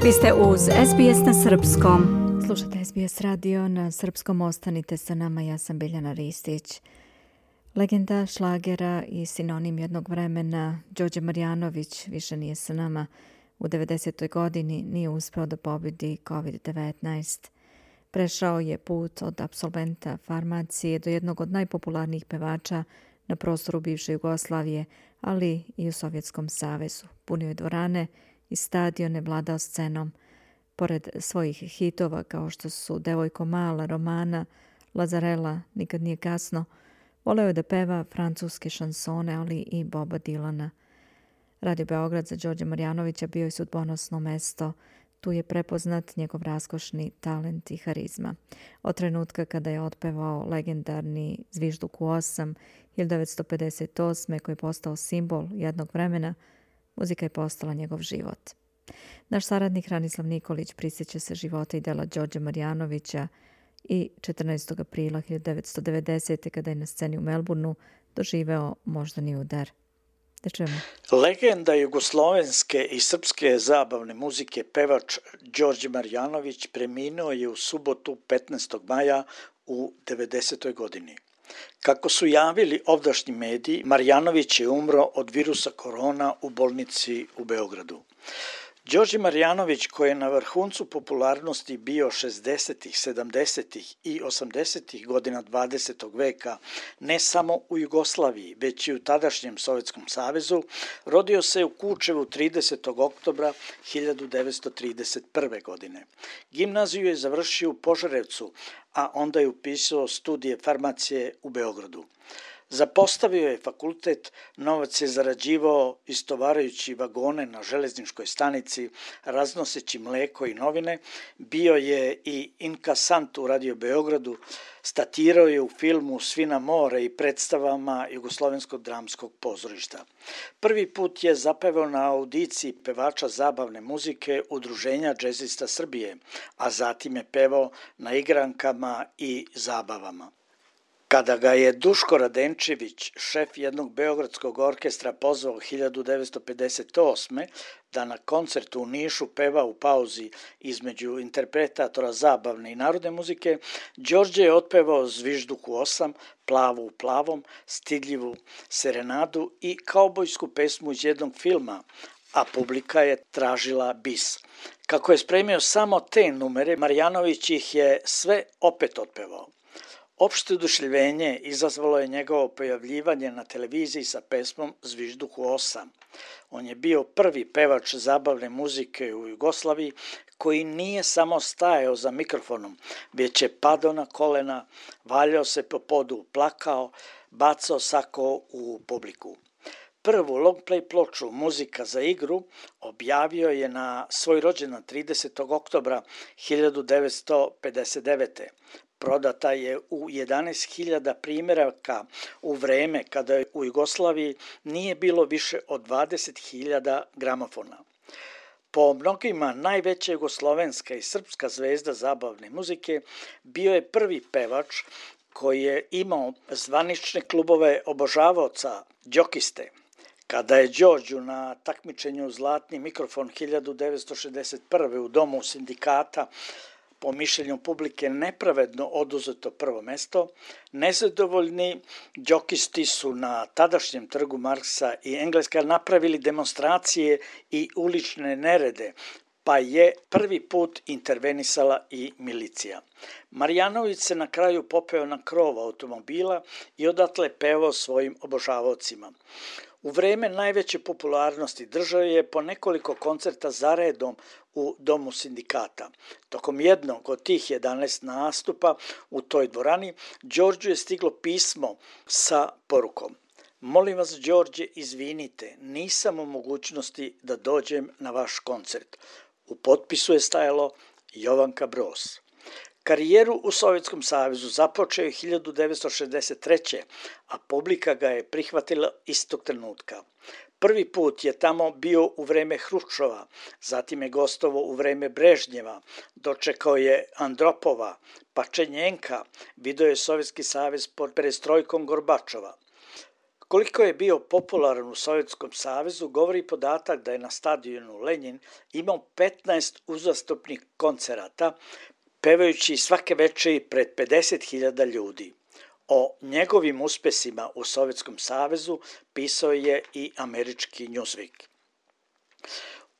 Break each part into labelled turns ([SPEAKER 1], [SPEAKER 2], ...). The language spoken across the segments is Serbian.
[SPEAKER 1] Vi ste uz SBS na srpskom. Slušate SBS radio na srpskom, ostanite sa nama, ja sam Biljana Ristić. Legenda šlagera i sinonim jednog vremena, Đorđe Marjanović, više nije sa nama. U 90. godini nije uspeo da pobedi COVID-19. Prešao je put od apsolventa farmacije do jednog od najpopularnijih pevača na prostoru bivše Jugoslavije, ali i u Sovjetskom savezu. Punio je dvorane i stadione, vladao scenom. Pored svojih hitova kao što su Devojko mala, Romana, Lazarela, Nikad nije kasno, voleo je da peva francuske šansone, ali i Boba Dilana. Radio Beograd za Đorđa Marjanovića bio je sudbonosno mesto. Tu je prepoznat njegov raskošni talent i harizma. Od trenutka kada je otpevao legendarni Zvižduk u 8, 1958. koji je postao simbol jednog vremena, muzika je postala njegov život. Naš saradnik Ranislav Nikolić prisjeća se života i dela Đorđa Marjanovića i 14. aprila 1990. kada je na sceni u Melbourneu doživeo moždani udar. Da čujemo.
[SPEAKER 2] Legenda jugoslovenske i srpske zabavne muzike, pevač Đorđe Marjanović preminuo je u subotu 15. maja u 90. godini. Kako su javili ovdašnji mediji, Marjanović je umro od virusa korona u bolnici u Beogradu. Đorđe Marjanović, koji je na vrhuncu popularnosti bio 60., 70. i 80. godina 20. veka, ne samo u Jugoslaviji, već i u tadašnjem Sovjetskom savezu, rodio se u Kučevu 30. oktobra 1931. godine. Gimnaziju je završio u Požarevcu, a onda je upisao studije farmacije u Beogradu. Zapostavio je fakultet, novac je zarađivao istovarajući vagone na železničkoj stanici, raznoseći mleko i novine, bio je i inkasant u Radio Beogradu, statirao je u filmu Svi na more i predstavama Jugoslovenskog dramskog pozorišta. Prvi put je zapevao na audiciji pevača zabavne muzike Udruženja džezista Srbije, a zatim je pevao na igrankama i zabavama. Kada ga je Duško Radenčević, šef jednog beogradskog orkestra, pozvao 1958. da na koncertu u Nišu peva u pauzi između interpretatora zabavne i narodne muzike, Đorđe je otpevao Zvižduk u 8, Plavu u plavom, Stidljivu serenadu i kaubojsku pesmu iz jednog filma, a publika je tražila bis. Kako je spremio samo te numere, Marjanović ih je sve opet otpevao. Opšte oduševljenje izazvalo je njegovo pojavljivanje na televiziji sa pesmom Zvižduk u 8. On je bio prvi pevač zabavne muzike u Jugoslaviji koji nije samo stajao za mikrofonom, već je padao na kolena, valjao se po podu, plakao, bacao sako u publiku. Prvu longplay ploču Muzika za igru objavio je na svoj rođendan 30. oktobra 1959. Prodata je u 11.000 primjeraka u vreme kada u Jugoslaviji nije bilo više od 20.000 gramofona. Po mnogima najveća jugoslovenska i srpska zvezda zabavne muzike, bio je prvi pevač koji je imao zvanične klubove obožavaoca, đokiste. Kada je Đorđu na takmičenju Zlatni mikrofon 1961. u Domu sindikata po mišljenju publike nepravedno oduzeto prvo mesto, nezadovoljni džokisti su na tadašnjem trgu Marksa i Engleska napravili demonstracije i ulične nerede, pa je prvi put intervenisala i milicija. Marjanović se na kraju popeo na krov automobila i odatle pevao svojim obožavaocima. U vreme najveće popularnosti držao je po nekoliko koncerta zaredom u Domu sindikata. Tokom jednog od tih 11 nastupa u toj dvorani, Đorđu je stiglo pismo sa porukom: "Molim vas, Đorđe, izvinite, nisam u mogućnosti da dođem na vaš koncert." U potpisu je stajalo Jovanka Broz. Karijeru u Sovjetskom savezu započeo je 1963. a publika ga je prihvatila istog trenutka. Prvi put je tamo bio u vreme Hruščova, zatim je gostovao u vreme Brežnjeva, dočekao je Andropova, Pačenjenka, video je Sovjetski savez pod perestrojkom Gorbačova. Koliko je bio popularan u Sovjetskom savezu govori podatak da je na stadionu Lenjin imao 15 uzastopnih koncerata, pevajući svake večeri pred 50.000 ljudi. O njegovim uspesima u Sovjetskom savezu pisao je i američki Newsweek.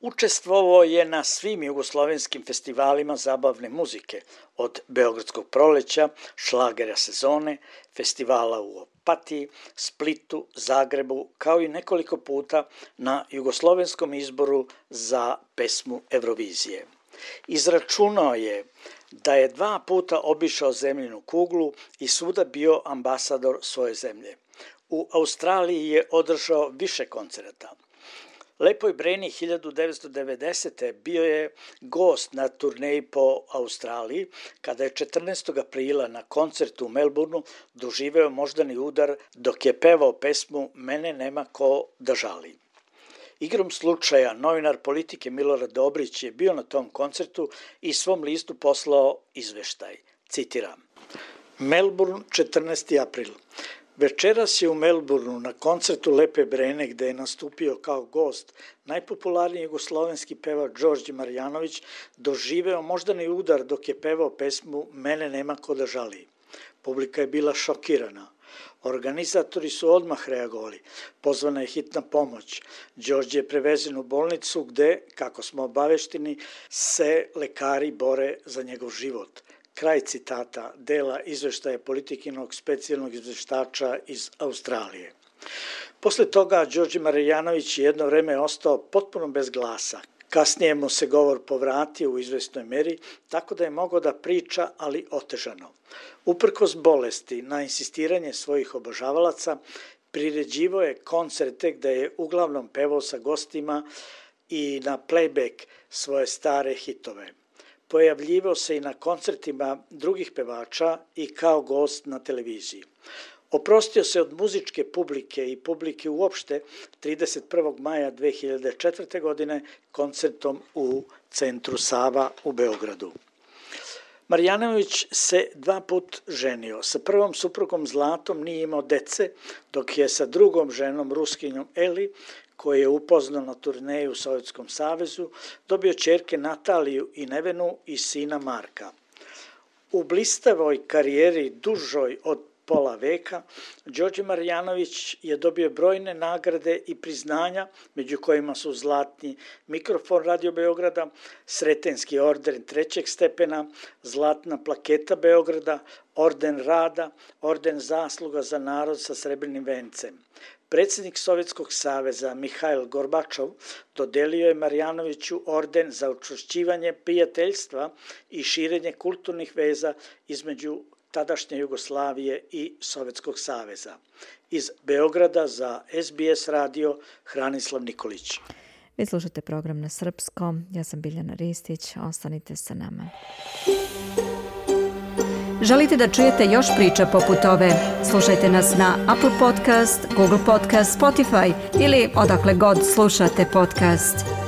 [SPEAKER 2] Učestvovao je na svim jugoslovenskim festivalima zabavne muzike, od Beogradskog proleća, šlagera sezone, festivala u Opatiji, Splitu, Zagrebu, kao i nekoliko puta na jugoslovenskom izboru za pesmu Eurovizije. Izračunao je da je 2 puta obišao zemljinu kuglu i svuda bio ambasador svoje zemlje. U Australiji je održao više koncerata. Lepoj Breni 1990. bio je gost na turneji po Australiji, kada je 14. aprila na koncertu u Melbourneu doživeo moždani udar dok je pevao pesmu Mene nema ko da žali. Igrom slučaja, novinar Politike Milorad Dobrić je bio na tom koncertu i svom listu poslao izveštaj. Citiram. Melbourne, 14. april. Večeras je u Melbourneu na koncertu Lepe Brene, gde je nastupio kao gost najpopularniji jugoslovenski pevač Đorđe Marjanović, doživeo moždani udar dok je pevao pesmu Mene nema ko da žali. Publika je bila šokirana. Organizatori su odmah reagovali. Pozvana je hitna pomoć. Đorđe je prevezen u bolnicu gde, kako smo obavešteni, se lekari bore za njegov život. Kraj citata dela izveštaja Politikinog specijalnog izveštača iz Australije. Posle toga Đorđe Marjanović jedno vreme ostao potpuno bez glasa. Kasnije mu se govor povratio u izvesnoj meri, tako da je mogao da priča, ali otežano. Uprkos bolesti, na insistiranje svojih obožavalaca, priređivao je koncerte gde je uglavnom pevao sa gostima i na playback svoje stare hitove. Pojavljivao se i na koncertima drugih pevača i kao gost na televiziji. Oprostio se od muzičke publike i publike uopšte 31. maja 2004. godine koncertom u centru Sava u Beogradu. Marjanović se 2 put ženio. Sa prvom suprugom Zlatom nije imao dece, dok je sa drugom ženom Ruskinjom Eli, koji je upoznao na turneju u Sovjetskom savezu, dobio ćerke Nataliju i Nevenu i sina Marka. U blistavoj karijeri dužoj od pola veka, Đorđe Marjanović je dobio brojne nagrade i priznanja, među kojima su Zlatni mikrofon Radio Beograda, Sretenski orden 3. stepena, Zlatna plaketa Beograda, Orden rada, Orden zasluga za narod sa srebrnim vencem. Predsjednik Sovjetskog saveza Mihail Gorbačov dodelio je Marjanoviću orden za učvršćivanje prijateljstva i širenje kulturnih veza između tadašnje Jugoslavije i Sovjetskog saveza. Iz Beograda za SBS radio Hranislav Nikolić.
[SPEAKER 1] Vi slušate program na srpskom. Ja sam Biljana Ristić. Ostanite sa nama. Želite da čujete još priča poput ove? Slušajte nas na Apple Podcast, Google Podcast, Spotify ili odakle god slušate podcast.